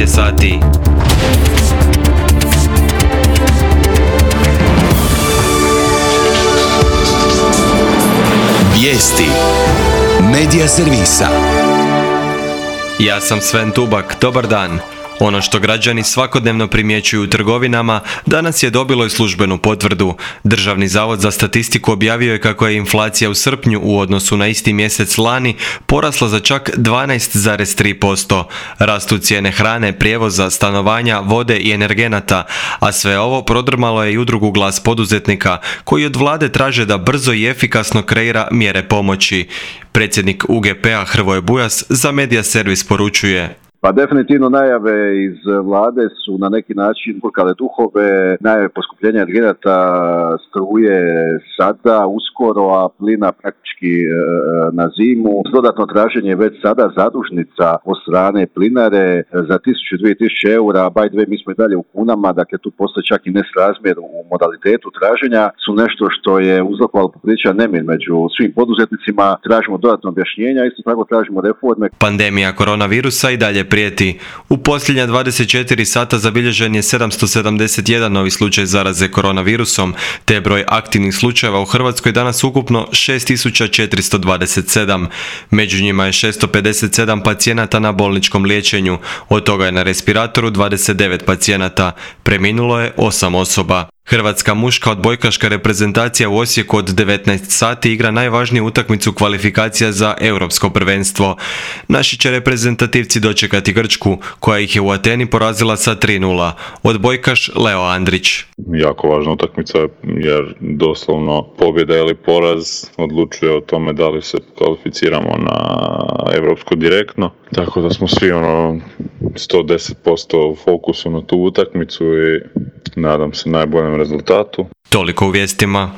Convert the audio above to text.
9 je sati. Vijesti Medija servisa. Ja sam Sven Tubak, dobar dan. Ono što građani svakodnevno primjećuju u trgovinama danas je dobilo i službenu potvrdu. Državni zavod za statistiku objavio je kako je inflacija u srpnju u odnosu na isti mjesec lani porasla za čak 12,3%. Rastu cijene hrane, prijevoza, stanovanja, vode i energenata, a sve ovo prodrmalo je i udrugu Glas poduzetnika, koji od vlade traže da brzo i efikasno kreira mjere pomoći. Predsjednik UGP-a Hrvoje Bujas za Medija servis poručuje: Pa definitivno najave iz vlade su na neki način burkale duhove, najave poskupljenja energenata, struje sada, uskoro, a plina praktički na zimu. Dodatno traženje već sada zadužnica od strane plinare za 1000-2000 eura, by the way mi smo i dalje u kunama, dakle tu postoji čak i nesrazmjer u modalitetu traženja, su nešto što je uzrokovalo popriličan nemir među svim poduzetnicima. Tražimo dodatno objašnjenja, isto tako tražimo reforme. Pandemija koronavirusa i dalje prijeti. U posljednja 24 sata zabilježen je 771 novi slučaj zaraze koronavirusom, te broj aktivnih slučajeva u Hrvatskoj danas ukupno 6427. Među njima je 657 pacijenata na bolničkom liječenju, od toga je na respiratoru 29 pacijenata. Preminulo je 8 osoba. Hrvatska muška odbojkaška reprezentacija u Osijeku od 19 sati igra najvažniju utakmicu kvalifikacija za europsko prvenstvo. Naši će reprezentativci dočekati Grčku, koja ih je u Ateni porazila sa 3:0. Odbojkaš Leo Andrić: Jako važna utakmica jer doslovno pobjeda ili poraz odlučuje o tome da li se kvalificiramo na europsko direktno. Tako da smo svi 110% u fokusu na tu utakmicu i nadam se najboljem rezultatu. Toliko u vijestima.